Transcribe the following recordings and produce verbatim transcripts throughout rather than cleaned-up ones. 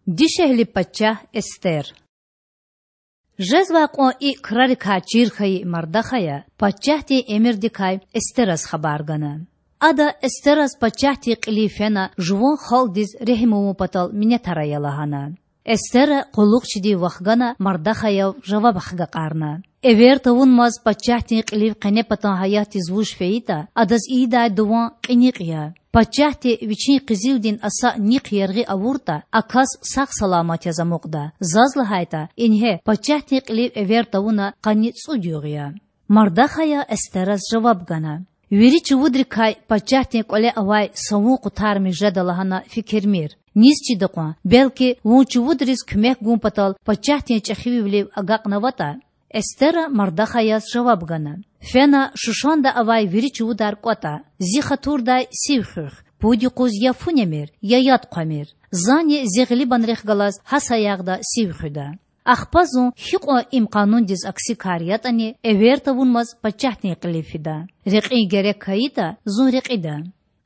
Дишегьли пачагь Эстер. Жезвай кьван и крарикай чир хьайи Мардахая пачагьдин эмирдикай Эстераз хабар гана. Ада Эстераз пачагьдин кьилив фена жуван халкьдиз регьим авун патал минетар ая лагьана. Эстера къуллугъчидив вахгана Мардахаяв жаваб ахгакьарна: Эвер тавунмаз пачагьдин кьилив къенепатан гьаятдиз вуж фейитӀа, адаз ийидай дуван кьиникь я. Пачагьди вичин къизилдин аса нихъ яргъи авуртӀа, а кас сагъ-саламат яз амукьда, заз лагьайтӀа, ингье, пачагьдин кьилив эвер тавуна къанни цӀуд югъ я. Мардахая Эстераз жаваб гана: Вири чувудрикай пачагьдин кӀвале авай са вун къутармиш жеда лагьана фикирмир. Низ чида кьван, белки, вун чувудриз куьмек гун патал пачагьдин чӀехивилив агакьнаватӀа? Эстера Мардахаяз жаваб гана: Фена Шушанда авай вири чувудар кӀватӀа. Зи хатурдай сив хуьх. Пуд юкъуз я фу немир, я яд хъвамир. Зани зи гъилибанрихъ галаз гьа саягъда сив хуьда. Ахпа зун, гьикьван им къанундиз акси кар ятӀани, эвер тавунмаз пачагьдин кьилив фида. Рекьин герек хьайитӀа, зун рекьида.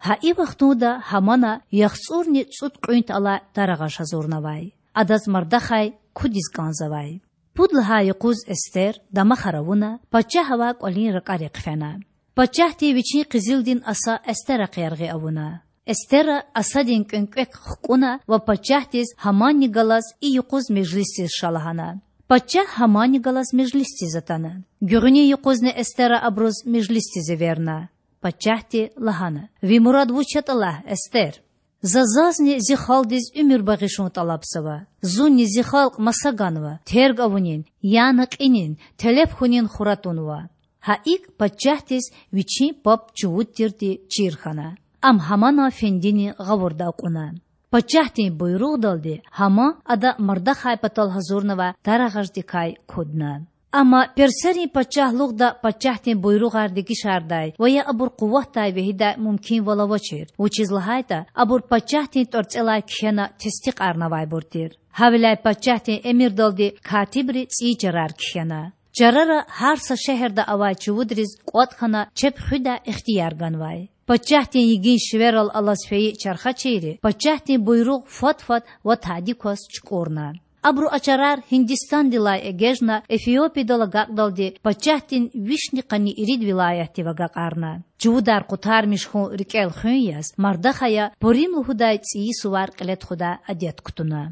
Гьа и вахтунда Гьамана яхцӀурни цӀуд кьуьнт алай тарагъаж гьазурнавай. Адаз Мардахай кудиз кӀанзавай. Пуд лагьай юкъуз Эстер, дамахар авуна, пачагь авай кӀвалин ракӀарихъ фена. Пачагьди вичин къизилдин аса Эстерахъ яргъи авуна. Эстера асадин кӀвенкӀвек хкӀуна ва пачагьдиз Гьаманни галаз и юкъуз межлисдиз ша лагьана. Пачагь Гьаманни галаз межлисдиз атана. Гуьгъуьнин юкъузни Эстера абуруз межлисдиз эверна. Пачагьди лагьана: Ви мурад вуч ятӀа лагь, Эстер. За зазни зи халкьдиз уьмуьр багъишун тӀалабзава. Зунни зи халкь маса ганва, терг авунин, яна кьинин, телеф хьунин хура тунва. Гьа икӀ пачагьдиз вичин паб чувуд тирди чир хьана. Ам Гьаманан фендинин гъавурда акьуна. Пачагьдин буйругъдалди Гьаман ада Мардахай патал гьазурнавай тарагъаждикай кудна. Амма персерин пачагьлугъда пачагьдин буйругъар дегишардай ва я абур къуватдай вегьидай мумкинвал авачир, вучиз лагьайтӀа абур пачагьдин тӀварцӀелай кхьена тестикьарнавайбур тир. Гьавиляй пачагьдин эмирдалди катибри цӀийи чарар кхьена. Чарара гьар са шегьерда авай чувудриз кӀватӀ хьана чеб хуьдай ихтияр ганвай. Пачагьдин йигин шиверал алаз фейи чархачийри пачагьдин буйругъ фад-фад ва тади кваз чукӀурна. Абуру а чарар Гьиндистандилай эгечӀна Эфиопиядал агакьдалди пачагьдин вишни къанни ирид вилаятдив агакьарна. Чувудар къутармиш хьун рикӀел хуьн яз Мардахая Пурим лугьудай цӀийи сувар кьиле тухудай адет кутуна.